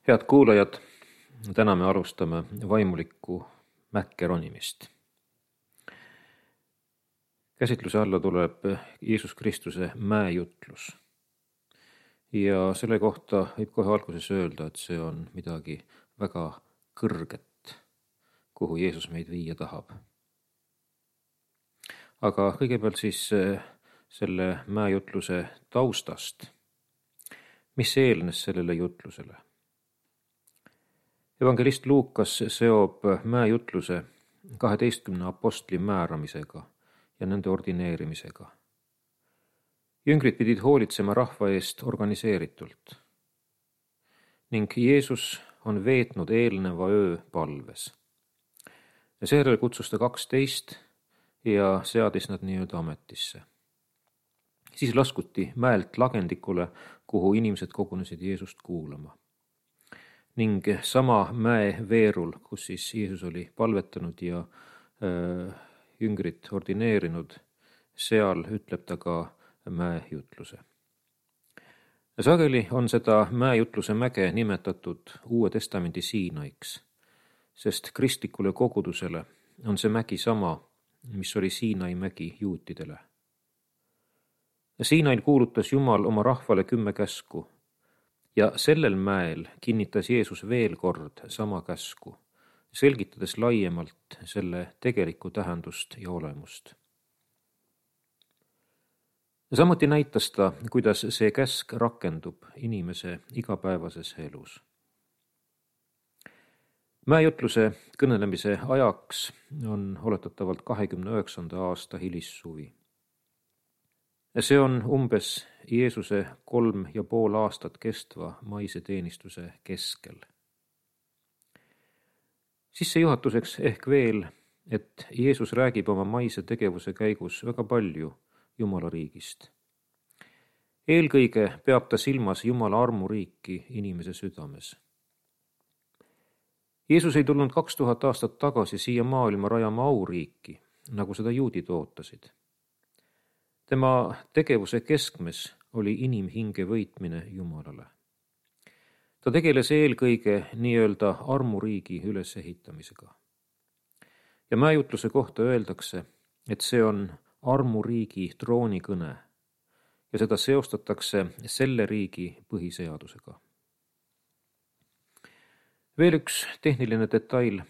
Head kuulajad, täna me alustame vaimulikku mäkke ronimist. Käsitluse alla tuleb Jeesus Kristuse mäejutlus. Ja selle kohta võib kohe alguses öelda, et see on midagi väga kõrget, kuhu Jeesus meid viia tahab. Aga kõigepealt siis selle mäejutluse taustast. Mis eelnes sellele jutlusele? Evangelist Luukas seob mäejutluse 12 apostli määramisega ja nende ordineerimisega. Jüngrid pidid hoolitsema rahva eest organiseeritult. Ning Jeesus on veetnud eelneva öö palves. Ja seejärel kutsus ta 12 ja seadis nad nii-öelda ametisse. Siis laskuti mäelt lagendikule, kuhu inimesed kogunesid Jeesust kuulama. Ning sama mäe veerul, kus siis Jeesus oli palvetanud ja jüngrit ordineerinud, seal ütleb ta ka mäejutluse. Sageli on seda mäejutluse mäge nimetatud Uue Testamendi Siinaiks, sest kristlikule kogudusele on see mägi sama, mis oli Siinai mägi juutidele. Siinail kuulutas Jumal oma rahvale 10 käsku. Ja sellel mäel kinnitas Jeesus veel kord sama käsku, selgitades laiemalt selle tegelikku tähendust ja olemust. Samuti näitas ta, kuidas see käsk rakendub inimese igapäevases elus. Mäejutluse kõnelemise ajaks on oletatavalt 29. aasta hilissuvi. See on umbes Jeesuse 3,5 aastat kestva maise teenistuse keskel. Sissejuhatuseks ehk veel, et Jeesus räägib oma maise tegevuse käigus väga palju Jumala riigist. Eelkõige peab ta silmas Jumala armuriiki inimese südames. Jeesus ei tulnud 2000 aastat tagasi siia maailma rajama auriiki, nagu seda juudid ootasid. Tema tegevuse keskmes oli inimhinge võitmine Jumalale. Ta tegeles eelkõige nii-öelda armuriigi ülesehitamisega. Ja mäejutluse kohta öeldakse, et see on armuriigi troonikõne ja seda seostatakse selle riigi põhiseadusega. Veel üks tehniline detail.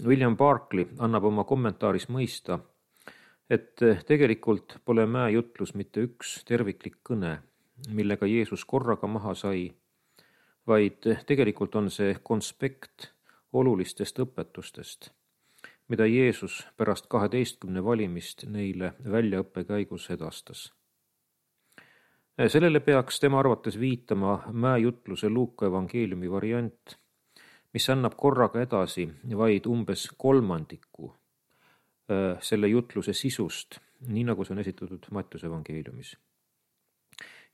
William Barclay annab oma kommentaaris mõista, et tegelikult pole mäejutlus mitte üks terviklik kõne, millega Jeesus korraga maha sai, vaid tegelikult on see konspekt olulistest õpetustest, mida Jeesus pärast 12 valimist neile väljaõppe käigus edastas. Sellele peaks tema arvates viitama mäejutluse Luuka evangeeliumi variant, mis annab korraga edasi vaid umbes 1/3 selle jutluse sisust, nii nagu see on esitatud Mattiuse evangeeliumis.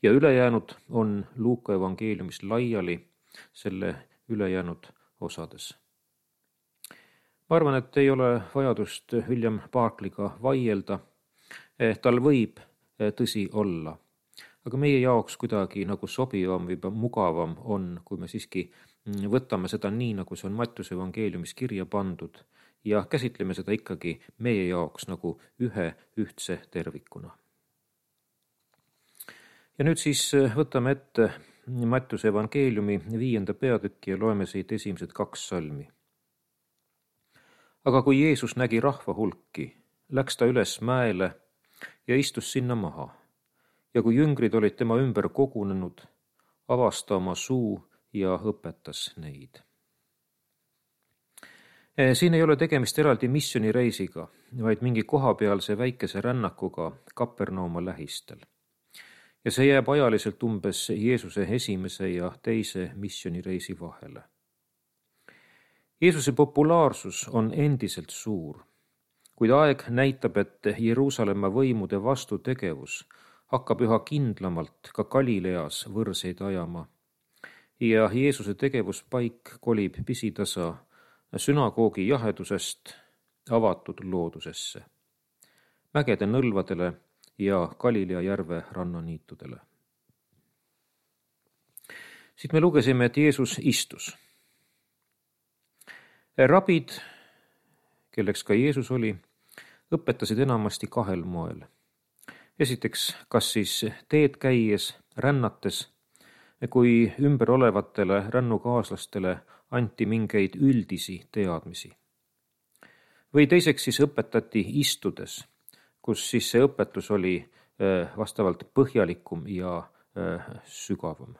Ja ülejäänud on Luuka evangeeliumis laiali selle ülejäänud osades. Ma arvan, et ei ole vajadust William Barclayga vaielda. Tal võib tõsi olla, aga meie jaoks kuidagi nagu sobivam või mugavam on, kui me siiski võtame seda nii, nagu see on Mattiuse evangeeliumis kirja pandud, ja käsitleme seda ikkagi meie jaoks nagu ühe ühtse tervikuna. Ja nüüd siis võtame ette Mattiuse evangeeliumi 5. peatükki ja loeme siit esimesed 2 salmi. Aga kui Jeesus nägi rahva hulki, läks ta üles mäele ja istus sinna maha. Ja kui jüngrid olid tema ümber kogunenud, avas ta oma suu ja õpetas neid. Siin ei ole tegemist eraldi missioonireisiga, vaid mingi kohapealse väikese rännakuga Kapernauma lähistel. Ja see jääb ajaliselt umbes Jeesuse esimese ja teise missioonireisi vahele. Jeesuse populaarsus on endiselt suur, kuid aeg näitab, et Jeruusalemma võimude vastutegevus hakkab üha kindlamalt ka Galileas võrseid ajama ja Jeesuse tegevuspaik kolib pisitasa sünagoogi jahedusest avatud loodusesse, mägede nõlvadele ja Galilea järve rannaniitudele. Siit me lugesime, et Jeesus istus. Rabid, kelleks ka Jeesus oli, õpetasid enamasti kahel moel. Esiteks, kas siis teed käies, rännates, kui ümber olevatele rännukaaslastele anti mingeid üldisi teadmisi. Või teiseks siis õpetati istudes, kus siis see õpetus oli vastavalt põhjalikum ja sügavam.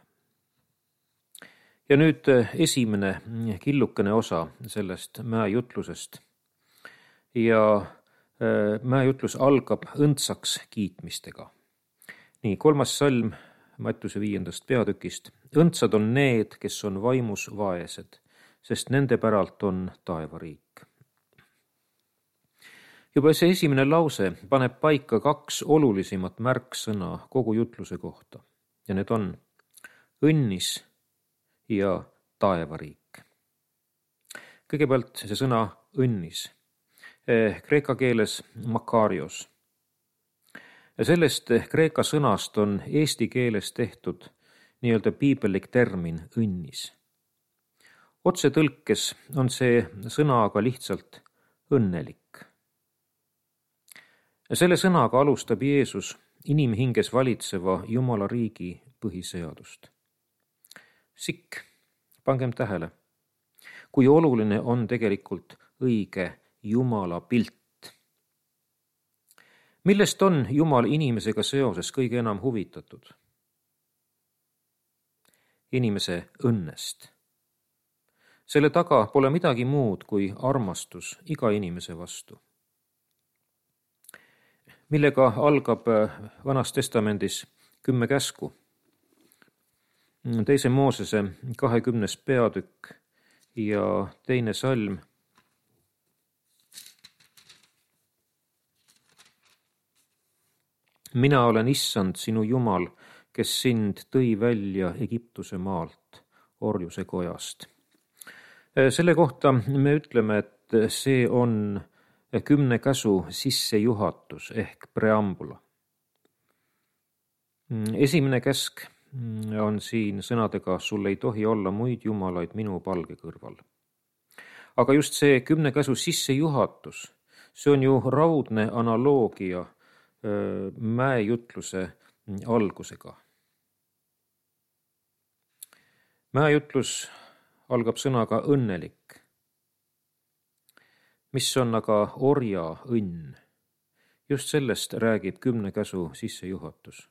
Ja nüüd esimene killukene osa sellest mäejutlusest. Ja mäejutlus algab õndsaks kiitmistega. Nii, 3. salm Mattiuse 5. peatükist. Õndsad on need, kes on vaimus vaesed, sest nende päralt on taevariik. Juba see esimene lause paneb paika 2 olulisemat märksõna kogu jutluse kohta. Ja need on õnnis ja taevariik. Kõigepealt see sõna õnnis. Kreeka keeles makarios. Ja sellest kreeka sõnast on eesti keeles tehtud nii-öelda piibellik termin õnnis. Otsetõlkes on see sõna aga lihtsalt õnnelik. Ja selle sõnaga alustab Jeesus inimhinges valitseva Jumala riigi põhiseadust. Sikk, pangem tähele, kui oluline on tegelikult õige Jumala pilt. Millest on Jumal inimesega seoses kõige enam huvitatud? Inimese õnnest. Selle taga pole midagi muud kui armastus iga inimese vastu. Millega algab Vanas Testamendis 10 käsku. 2. Moosese 20. peatükk ja 2. salm. Mina olen Issand, sinu Jumal, kes sind tõi välja Egiptuse maalt, orjuse kojast. Selle kohta me ütleme, et see on 10 käsu sissejuhatus ehk preambula. Esimene käsk on siin sõnadega, sul ei tohi olla muid jumalaid minu palge kõrval. Aga just see 10 käsu sissejuhatus, see on ju raudne analoogia mäejutluse algusega. Mäejutlus algab sõnaga õnnelik, mis on aga orja õnn. Just sellest räägib 10 käsu sissejuhatus.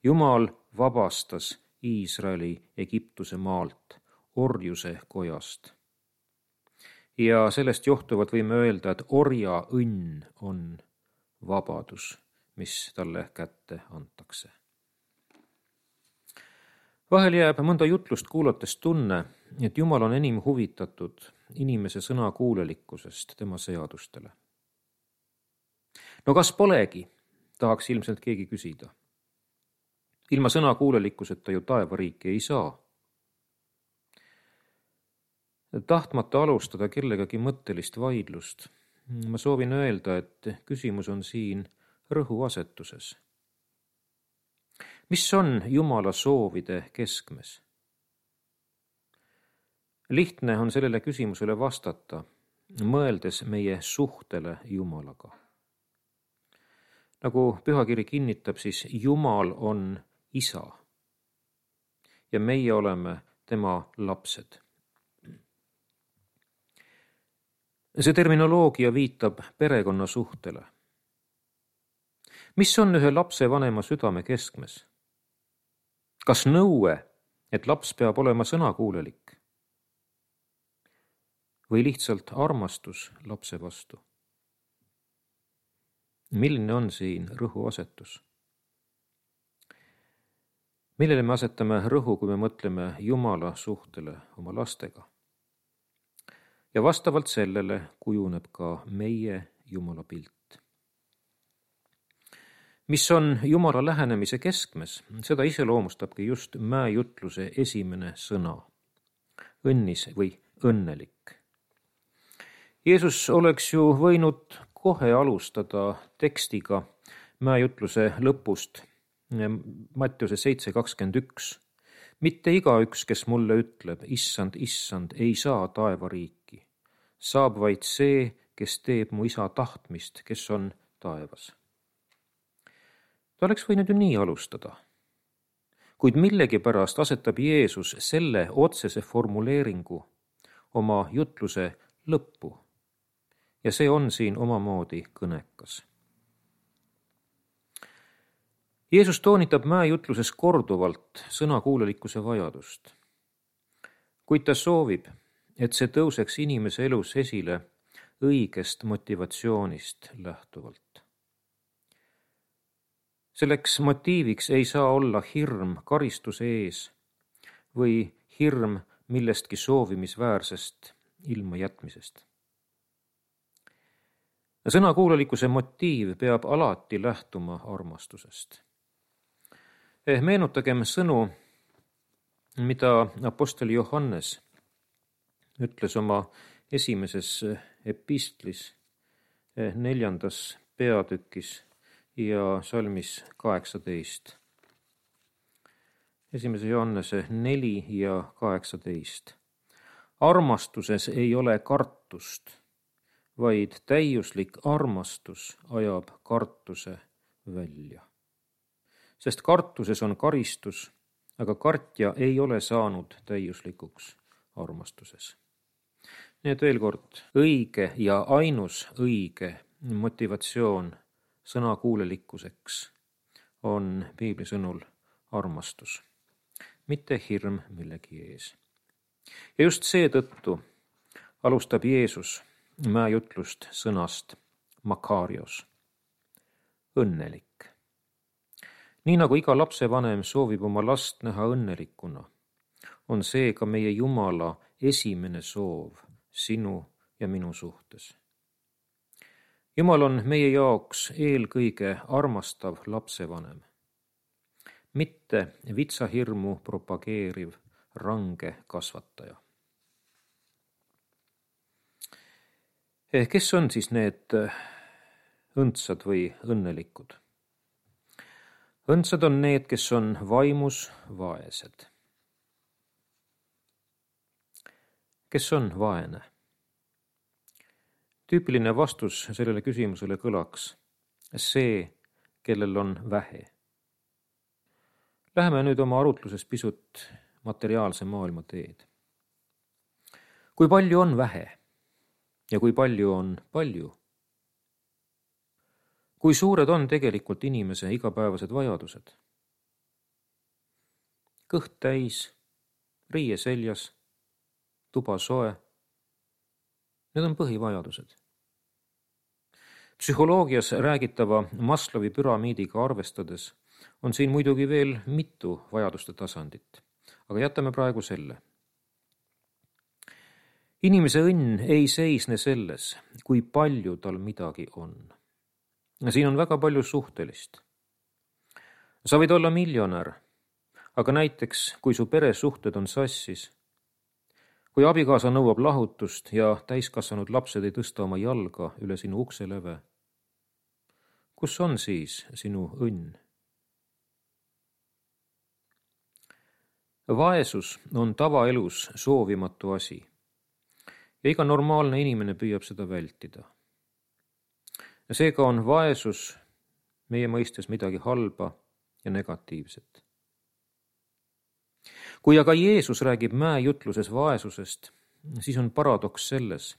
Jumal vabastas Iisraeli Egiptuse maalt, orjuse kojast. Ja sellest johtuvalt võime öelda, et orja õnn on vabadus, mis talle kätte antakse. Vahel jääb mõnda jutlust kuulates tunne, et Jumal on enim huvitatud inimese sõnakuulelikkusest tema seadustele. No kas polegi, tahaks ilmselt keegi küsida. Ilma sõnakuulelikkuseta ju taevariiki ei saa. Tahtmata alustada kellegagi mõttelist vaidlust, ma soovin öelda, et küsimus on siin rõhuasetuses. Mis on Jumala soovide keskmes? Lihtne on sellele küsimusele vastata, mõeldes meie suhtele Jumalaga. Nagu Pühakiri kinnitab, siis Jumal on Isa ja meie oleme tema lapsed. See terminoloogia viitab perekonna suhtele. Mis on ühe lapse vanema südame keskmes? Kas nõue, et laps peab olema sõnakuulelik? Või lihtsalt armastus lapse vastu? Milline on siin rõhuasetus? Millele me asetame rõhu, kui me mõtleme Jumala suhtele oma lastega? Ja vastavalt sellele kujuneb ka meie Jumala pilt. Mis on Jumala lähenemise keskmes, seda iseloomustabki just mäejutluse esimene sõna, õnnis või õnnelik. Jeesus oleks ju võinud kohe alustada tekstiga mäejutluse lõpust, Mattiuse 7:21, Mitte igaüks, kes mulle ütleb, issand, issand, ei saa taevariiki. Saab vaid see, kes teeb mu isa tahtmist, kes on taevas. Ta oleks võinud ju nii alustada. Kuid millegipärast asetab Jeesus selle otsese formuleeringu oma jutluse lõppu. Ja see on siin omamoodi kõnekas. Jeesus toonitab mäejutluses korduvalt sõnakuulelikkuse vajadust. Kuid ta soovib, et see tõuseks inimese elus esile õigest motivatsioonist lähtuvalt. Selleks motiiviks ei saa olla hirm karistuse ees või hirm millestki soovimisväärsest ilma jätmisest. Sõnakuulelikkuse motiiv peab alati lähtuma armastusest. Meenutagem sõnu, mida apostel Johannes ütles oma esimeses epistlis 4. peatükis ja salmis 18. 1. Johannese 4 ja 18. Armastuses ei ole kartust, vaid täiuslik armastus ajab kartuse välja. Sest kartuses on karistus, aga kartja ei ole saanud täiuslikuks armastuses. Nii et veel kord, õige ja ainus õige motivatsioon sõnakuulelikkuseks on piibli sõnul armastus, mitte hirm millegi ees. Ja just seetõttu alustab Jeesus mäejutlust sõnast makarios, õnnelik. Nii nagu iga lapsevanem soovib oma last näha õnnelikuna, on see ka meie Jumala esimene soov sinu ja minu suhtes. Jumal on meie jaoks eelkõige armastav lapsevanem, mitte vitsahirmu propageeriv range kasvataja. Kes on siis need õndsad või õnnelikud? Õndsad on need, kes on vaimus vaesed. Kes on vaene? Tüüpiline vastus sellele küsimusele kõlaks see, kellel on vähe. Läheme nüüd oma arutluses pisut materiaalse maailma teed. Kui palju on vähe ja kui palju on palju? Kui suured on tegelikult inimese igapäevased vajadused? Kõht täis, riie seljas, tuba soe. Need on põhivajadused. Psühholoogias räägitava Maslowi püramiidiga arvestades on siin muidugi veel mitu vajaduste tasandit, aga jätame praegu selle. Inimese õnn ei seisne selles, kui palju tal midagi on. Siin on väga palju suhtelist. Sa võid olla miljonär, aga näiteks, kui su peresuhted on sassis, kui abikaasa nõuab lahutust ja täiskasvanud lapsed ei tõsta oma jalga üle sinu ukseleve, kus on siis sinu õnn? Vaesus on tavaelus soovimatu asi ja iga normaalne inimene püüab seda vältida. Seega on vaesus meie mõistes midagi halba ja negatiivset. Kui aga Jeesus räägib mäejutluses vaesusest, siis on paradoks selles,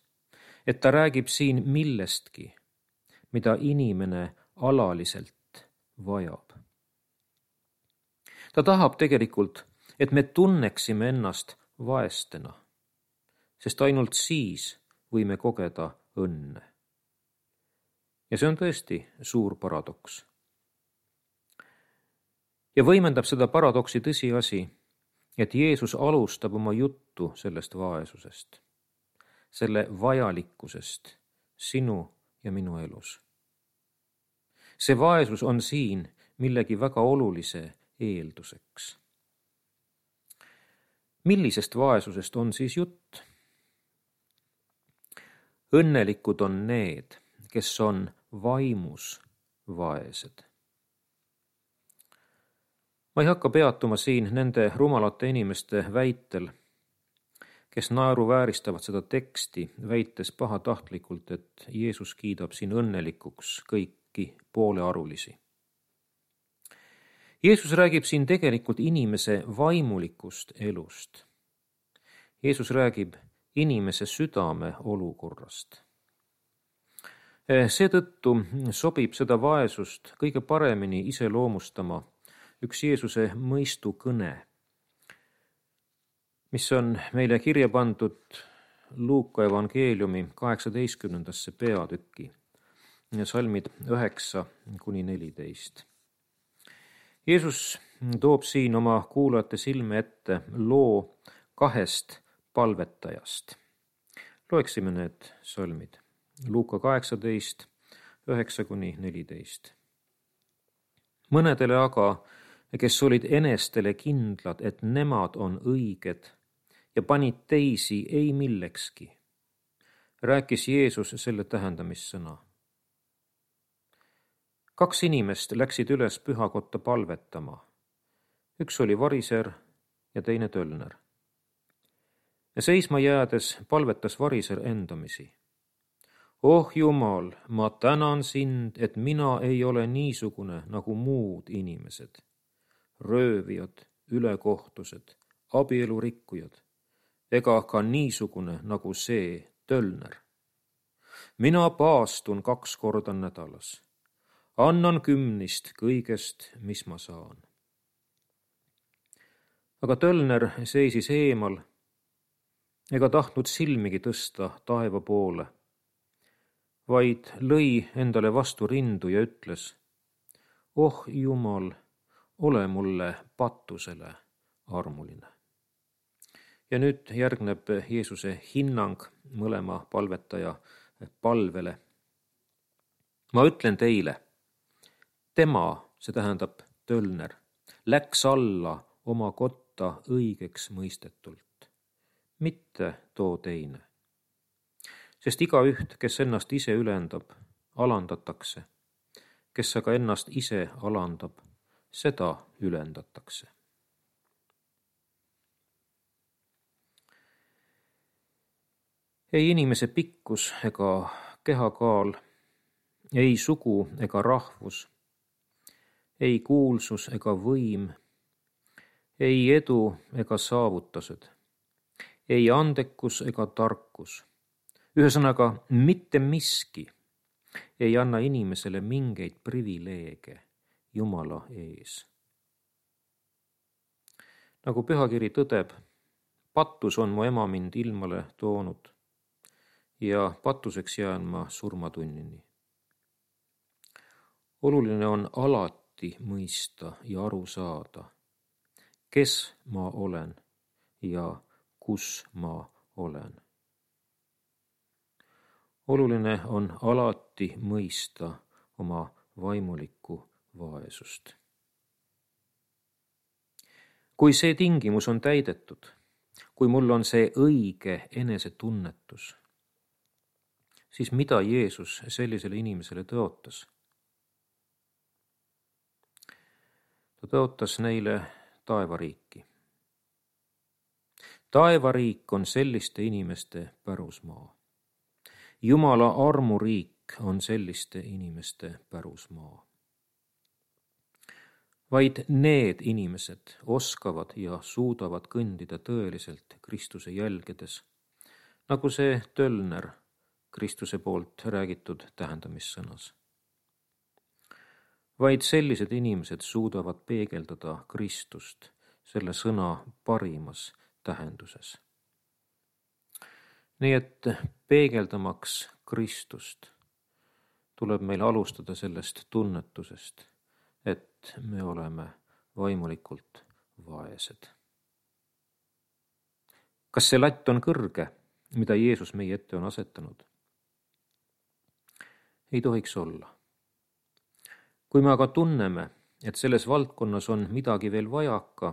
et ta räägib siin millestki, mida inimene alaliselt vajab. Ta tahab tegelikult, et me tunneksime ennast vaestena, sest ainult siis võime kogeda õnne. Ja see on tõesti suur paradoks. Ja võimendab seda paradoksi tõsiasi, et Jeesus alustab oma juttu sellest vaesusest, selle vajalikkusest sinu ja minu elus. See vaesus on siin millegi väga olulise eelduseks. Millisest vaesusest on siis jutt? Õnnelikud on need, kes on vaimus vaesed. Ma ei hakka peatuma siin nende rumalate inimeste väitel, kes naeruvääristavad seda teksti, väites pahatahtlikult, et Jeesus kiidab siin õnnelikuks kõiki poolearulisi. Jeesus räägib siin tegelikult inimese vaimulikust elust. Jeesus räägib inimese südame olukorrast. Seetõttu sobib seda vaesust kõige paremini iseloomustama üks Jeesuse mõistukõne, mis on meile kirja pandud Luuka evangeeliumi 18. peatükki, salmid 9-14. Jeesus toob siin oma kuulajate silme ette loo 2 palvetajast. Loeksime need salmid. Luuka 18, 9-14. Mõnedele aga, kes olid enestele kindlad, et nemad on õiged ja panid teisi ei millekski, rääkis Jeesus selle tähendamissõna. 2 inimest läksid üles pühakotta palvetama. Üks oli variser ja teine tölner. Ja seisma jäädes palvetas variser endamisi. Oh Jumal, ma tänan sind, et mina ei ole niisugune nagu muud inimesed. Röövijad, ülekohtused, abielurikkujad, ega ka niisugune nagu see tölner. Mina paastun 2 korda nädalas. Annan 10 kõigest, mis ma saan. Aga tölner seisis eemal ega tahtnud silmigi tõsta taeva poole, vaid lõi endale vastu rindu ja ütles, oh Jumal, ole mulle patusele armuline. Ja nüüd järgneb Jeesuse hinnang mõlema palvetaja palvele. Ma ütlen teile, tema, see tähendab tölner, läks alla oma kotta õigeks mõistetult, mitte too teine. Sest igaüht, kes ennast ise ülendab, alandatakse, kes aga ennast ise alandab, seda ülendatakse. Ei inimese pikkus ega kehakaal, ei sugu ega rahvus, ei kuulsus ega võim, ei edu ega saavutused, ei andekus ega tarkus. Ühesõnaga, mitte miski ei anna inimesele mingeid privileege Jumala ees. Nagu pühakiri tõdeb, patus on mu ema mind ilmale toonud ja patuseks jään ma surmatunnini. Oluline on alati mõista ja aru saada, kes ma olen ja kus ma olen. Oluline on alati mõista oma vaimulikku vaesust. Kui see tingimus on täidetud, kui mul on see õige enesetunnetus, siis mida Jeesus sellisele inimesele tõotas? Ta tõotas neile taevariiki. Taevariik on selliste inimeste pärusmaa. Jumala armuriik on selliste inimeste pärusmaa. Vaid need inimesed oskavad ja suudavad kõndida tõeliselt Kristuse jälgedes, nagu see tölner Kristuse poolt räägitud tähendamissõnas. Vaid sellised inimesed suudavad peegeldada Kristust selle sõna parimas tähenduses. Nii et peegeldamaks Kristust tuleb meil alustada sellest tunnetusest, et me oleme vaimulikult vaesed. Kas see latt on kõrge, mida Jeesus meie ette on asetanud? Ei tohiks olla. Kui me aga tunneme, et selles valdkonnas on midagi veel vajaka,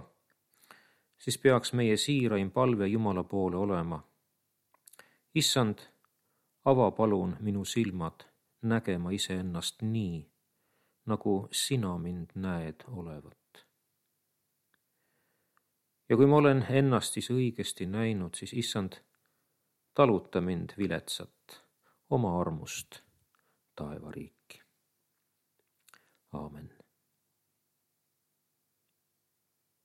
siis peaks meie siiraim palve Jumala poole olema. Issand, ava palun minu silmad nägema iseennast nii, nagu sina mind näed olevat. ja kui ma olen ennast siis õigesti näinud, siis issand, taluta mind viletsat oma armust taevariiki. Aamen.